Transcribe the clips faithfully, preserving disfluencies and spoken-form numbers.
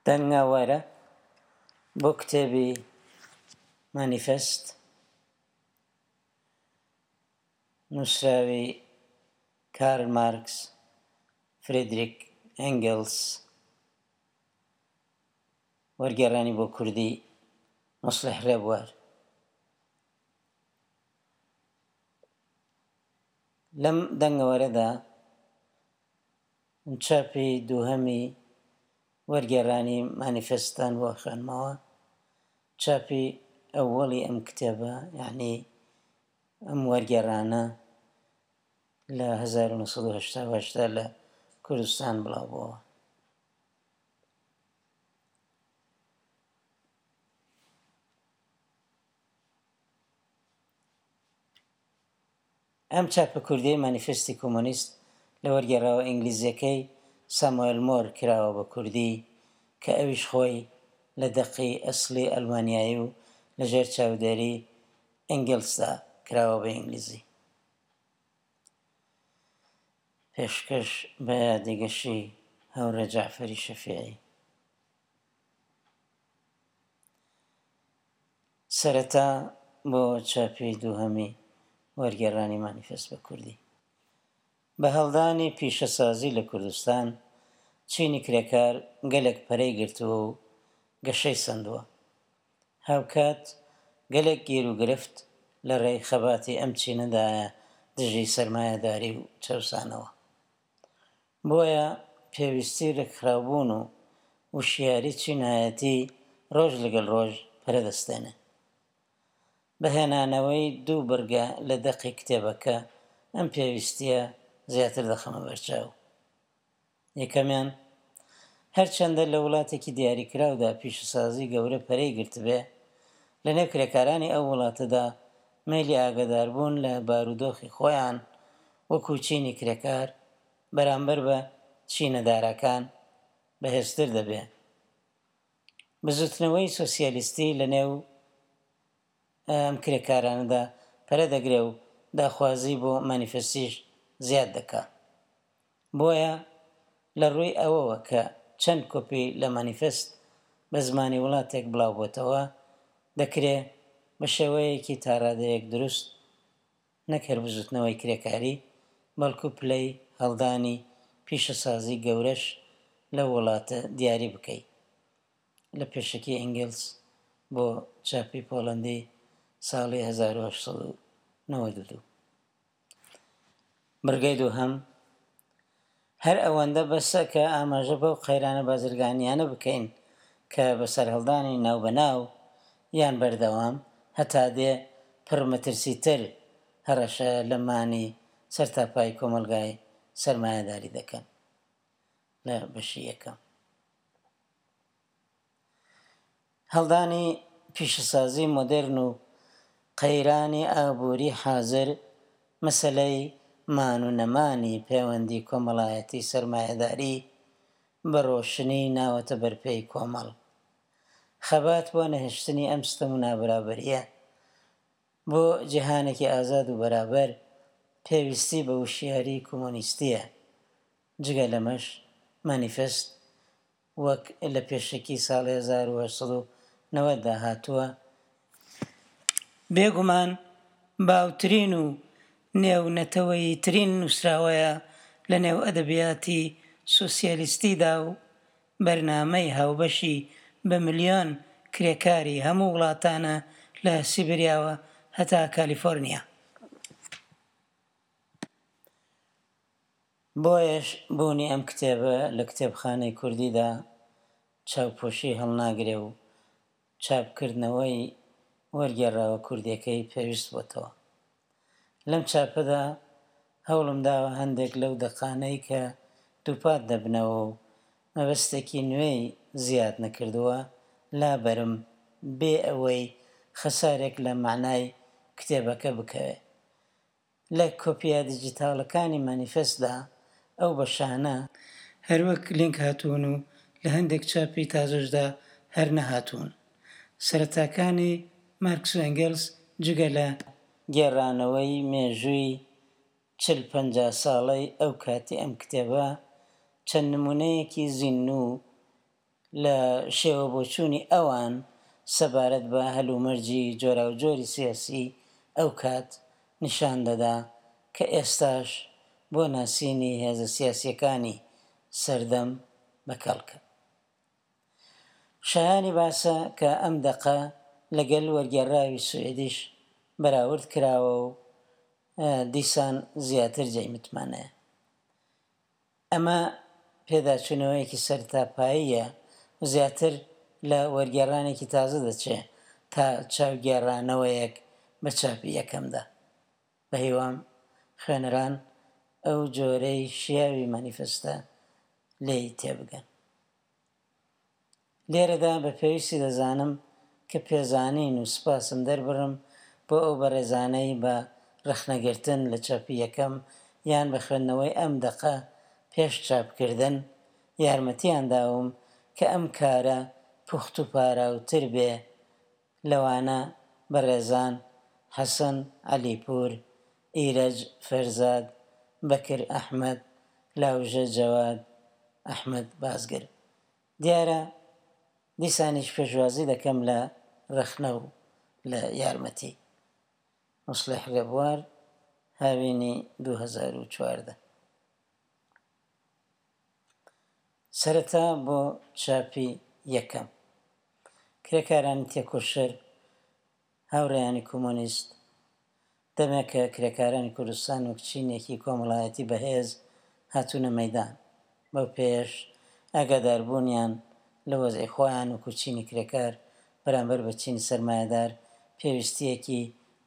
دەنگەوەرە بۆ کتێبی مانیفێست نووسراوی کارل مارکس، فرێدریک ئەنگلس، وەرگێڕانی بۆ کوردی موسڵیح ڕێبوار. لەم دەنگەوەرەدا چاپی دووهەمی وەرگێڕانی مانیفێستتان بۆ خوێنمەوە. چاپی ئەوەڵی ئەم کتێبە، یعنی ئەم وەرگێڕانە لە هەزار و نۆ سەد و هەشتا و هەشت لە کوردستان بڵاو بووەوە. ئەم چاپە کوردیەی مانیفێستی کۆمۆنیست لە وەرگێڕاوە ئینگلیزیەکەی ساموئێل مۆر کراوە بە کوردی کە ئەویش خۆی لە دەقی ئەسڵی ئەلمانیایی و لەژێر چاودێری ئەنگلسدا کراوە بە ئینگلیزی. پێشکەش بە یادی گەشی هاوڕێ جەعفەری شەفیعی. سەرەتا بۆ چاپی دووهەمی وەرگێڕانی مانیفێست بە کوردی. بە هەڵدانی پیشەسازی لە کوردستان چینی کرێکار گەلێک پەرەی گرتووە و گەشەی سەندووە. هاوکات گەلێک گیر و گرفت لە ڕێی خەباتی ئەم چینەدایە دژی سەرمایەداری و چەوسانەوە. بۆیە پێویستی ڕێکخراوبوون و وشیاری چینایەتی ڕۆژ لەگەڵ ڕۆژ پەرە دەستێنێ. بە هێنانەوەی دوو بڕگە لە دەقی کتێبەکە ئەم پێویستیە زیاتر دەخەمە بەرچاو. یەکەمیان، هەرچەندە لە وڵاتێکی دیاریکراودا پیشەسازی گەورە پەرەی گرتبێ، لەنێو کرێکارانی ئەو وڵاتەدا مەیلی ئاگاداربوون لە بارودۆخی خۆیان وەکو چینی کرێکار بەرامبەر بە چینە داراکان بەهێزتر دەبێ. بزوتنەوەی سۆسیالیستی لەنێو ئەم کرێکارانەدا پەرە دەگرێ و داخوازی بۆ مانیفێستیش زیاد دەکا. بۆیە لە ڕووی ئەوەوە کە چەند کۆپی لە مانیفێست بە زمانی وڵاتێک بڵاو بۆتەوە، دەکرێ بە شێوەیەکی تاڕادەیەک دروست نەک هەر بزوتنەوەی کرێکاری، بەڵکو پلەی هەڵدانی پیشەسازی گەورەش لەو وڵاتە دیاری بکەی. لە پێشەکی ئەنگلس بۆ چاپی پۆڵەندی ساڵی هەزار و هەشت سەد و نەوەد و دوو. بڕگەی دووهەم، هەر ئەوەندە بەسە کە ئاماژە بەو قەیرانە بازرگانیانە بکەین کە بە سەرهەڵدانی ناوبەناو یان بەردەوام هەتا دێ پڕمەترسیتر هەڕەشە لە مانی سەرتاپای کۆمەڵگای سەرمایەداری دەکەن. لە بەشی یەکەم، هەڵدانی پیشەسازی مۆدێرن و قەیرانی ئابووری حازر مەسەلەی مان و نەمانی پەیوەندی کۆمەڵایەتی سەرمایەداری بە ڕۆشنی ناوەتە بەرپێی کۆمەڵ. خەبات بۆ نەهێشتنی ئەم ستەم و نابەرابەریە بۆ جیهانێکی ئازاد و بەرابەر پێویستی بە وشیاری کۆمۆنیستیە. جگە لەمەش مانیفێست وەک لە پێشەکی ساڵی هەزار و هەشت سەد و نەوەد دا هاتووە، بێگومان باوترین و نێونەتەوەییترین نووسراوەیە لە نێو ئەدەبیاتی سۆسیالیستیدا و بەرنامەی هاوبەشی بە ملیۆن کرێکاری هەموو وڵاتانە لە سیبریاوە هەتا کالیفۆرنیا. بۆیەش بوونی ئەم کتێبە لە کتێبخانەی کوردیدا چاوپۆشی هەڵناگرێ و چاپکردنەوەی وەرگێڕاوە کوردیەکەی پێویست بۆتەوە. لەم چاپەدا هەوڵم داوە هەندێک لەو دەقانەی کە دووپات دەبنەوە و مەبەستێکی نوێی زیاد نەکردووە لابەرم بێ ئەوەی خەسارێک لە مەعنای کتێبەکە بکەوێ. لە کۆپیە دیجیتاڵەکانی مانیفێستدا ئەو بەشانە هەروەک لینک هاتوون و لە هەندێک چاپی تازەشدا هەر نەهاتوون. سەرەتاکانی مارکس و ئەنگلس جگە لە گێڕانەوەی مێژووی چل پەنجا ساڵەی ئەو کاتی ئەم کتێبە چەند نموونەیەکی زیندوو لە شێوە بۆچوونی ئەوان سەبارەت بە هەلومەرجی جۆراوجۆری سیاسی ئەو کات نیشان دەدا کە ئێستاش بۆ ناسینی هێزە سیاسییەکانی سەردەم بەکەڵکە. شایانی باسە کە ئەم دەقە لەگەل وەرگێڕراوی سوئیدیش بەراورد کراوە و دیسان زیاتر جێی متمانەیە. ئەمە پێداچوونەوەیەکی سەرتاپاییە و زیاتر لە وەرگێڕانێکی تازە دەچێ تا چاوگێڕانەوەیەک بە چاپی یەکەمدا. بە هیوام خوێنەران ئەو جۆرەی شیاوی مانیفستە لێی تێبگەن. لێرەدا بە پێویستی دەزانم کە پێزانین و سپاسم دەربڕم بۆ ئەو بەڕێزانەی بە ڕەخنەگرتن لە چاپی یەکەم یان بە خوێندنەوەی ئەم دەقە پێش چاپکردن یارمەتیان داوم کە ئەم کارە پوخت و پاراوتر بێ، لەوانە بەڕێزان حەسەن عەلیپوور، ئیرەج فەرزاد، بەکر ئەحمەد، لاوژە جەواد، ئەحمەد بازگر. دیارە دیسانیش پێشوازی دەکەم لە ڕەخنە و لە یارمەتی. موسڵیح ڕێبوار، هاوینی دوو هەزار و چواردە. سەرەتا بۆ چاپی یەکەم. کرێکارانی تێکۆشەر، هاوڕێیانی کۆمۆنیست، دەمێکە کرێکارانی کوردستان وەک چینێکی کۆمەڵایەتی بەهێز هاتوونە مەیدان. بەو پێیەش ئاگاداربوونیان لە وەزعی خۆیان وەکو چینی کرێکار بەرامبەر بە چینی سەرمایەدار پێویستیەکی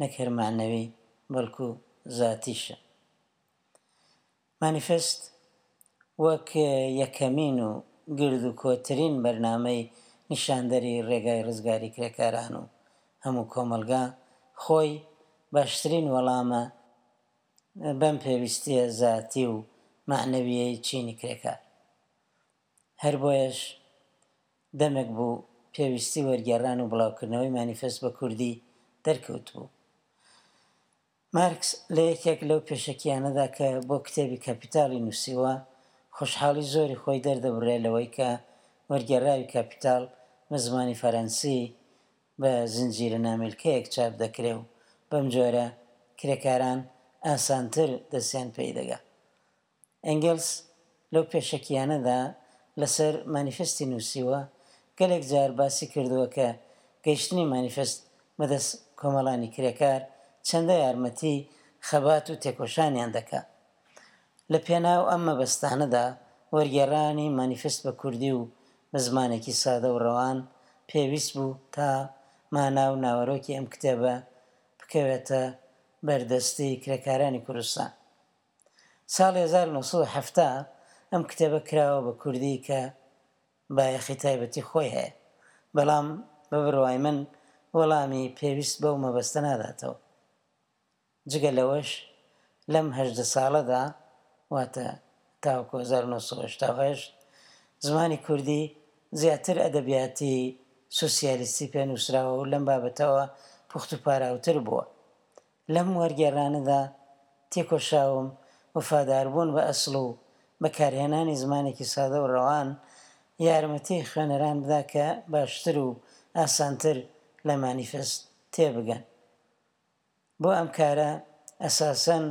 نەک هەر مەعنەوی بەڵکو زاتیشە. مانیفست وەک یەکەمین و گرد و کۆترین بەرنامەی نیشاندەری ڕێگای ڕزگاری کرێکاران و هەموو کۆمەڵگا خۆی باشترین وەڵامە بەم پێویستیە زاتی و مەعنەویەی چینی کرێکار. هەر بۆیەش دەمێک بوو پێویستی وەرگێڕان و بڵاوکردنەوەی مانیفست بە کوردی دەرکەوت بوو. مارکس لە یەکێک لەو پێشەکیانەدا کە بۆ کتێبی کاپیتالی نووسیوە خۆشحاڵی زۆری خۆی دەردەبڕێ لەوەی کە وەرگێڕاوی کاپیتال بە زمانی فەرەنسی بە زنجیرە نامیلکەیەک چاپ دەکرێ و بەم جۆرە کرێکاران ئاسانتر دەستیان پێی دەگا. ئەنگلس لەو پێشەکیانەدا لەسەر مانیفستی نووسیوە گەلێک جار باسی کردووە کە گەیشتنی مانیفست بەدەست کۆمەڵانی کرێکار چەندە یارمەتی خەبات و تێکۆشانیان دەکا. لە پێناو ئەم مەبەستانەدا وەرگێڕانی مانیفست بە کوردی و بە زمانێکی سادە و ڕەوان پێویست بوو تا مانا و ناوەرۆکی ئەم کتێبە بکەوێتە بەردەستی کرێکارانی کوردستان. ساڵی هەزار و نۆ سەد و حەفتا ئەم کتێبە کراوە بە کوردی کە بایەخی تایبەتی خۆی هەیە، بەڵام بە بڕوای من وەڵامی پێویست بەو مەبەستە ناداتەوە. جگە لەوەش لەم هەژدە ساڵەدا، واتە تاوەکو هەزار و نۆ سەد و هەشتا و هەشت، زمانی کوردی زیاتر ئەدەبیاتی سوسیالیستی پێنووسراوە و لەم بابەتەوە پوخت و پاراوتر بووە. لەم وەرگێڕانەدا تێکۆشاوم وەفاداربوون بە ئەسڵ و بەکارهێنانی زمانێکی سادە و ڕەوان یارمەتی خوێنەران بدا کە باشتر و ئاسانتر لە مانیفست تێبگەن. بۆ ئەم کارە ئەساسەن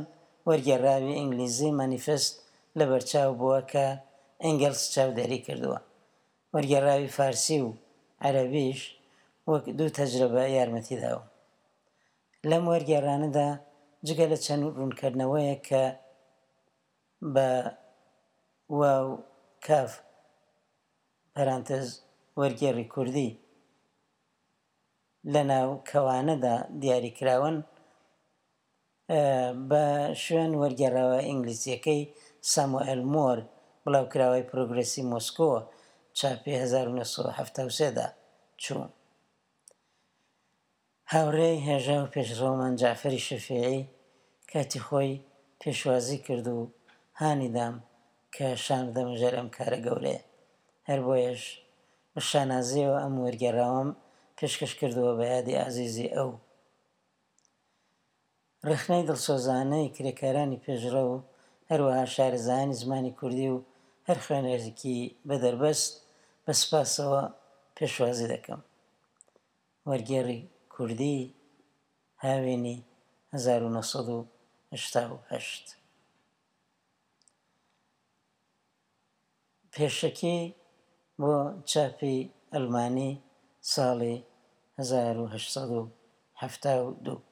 وەرگێڕاوی ئینگلیزی مانیفست لەبەرچاو بووە کە ئەنگلس چاودێری کردووە. وەرگێڕاوی فارسی و عەرەبیش وەک دوو تەجربە یارمەتی داوم. لەم وەرگێڕانەدا جگە لە چەند ڕوونکردنەوەیەک کە بە واو کاف پەرانتز وەرگێڕی کوردی لەناو کەوانەدا دیاریکراون، بە شوێن وەرگێڕاوە ئینگلیزیەکەی ساموئێل مۆر بڵاوکراوەی پرۆگرێسی مۆسکۆ چاپی هەزار و نۆ سەد و حەفتا و سێ دا چوو. هاوڕێی هێژا و پێشڕەومان جەعفەری شەفیعی کاتی خۆی پێشوازی کرد و هانی دام کە شان بدەمە ژێر ئەم کارە گەورەیە. هەر بۆیەش بە شانازیەوە ئەم وەرگێڕاوەم پێشکەش کردووە بە یادی ئازیزی ئەو. ڕەخنەی دڵسۆزانەی کرێکارانی پێشڕەو و هەروەها شارەزایانی زمانی کوردی و هەر خوێنەرێکی بەدەربەست بە سپاسەوە پێشوازی دەکەم. وەرگێڕی کوردی، هاوینی هەزار و نۆ سەد و هەشتا و هەشت. پێشەکی بۆ چاپی ئەڵمانی ساڵی هەزار و هەشت سەد و حەفتا و دوو.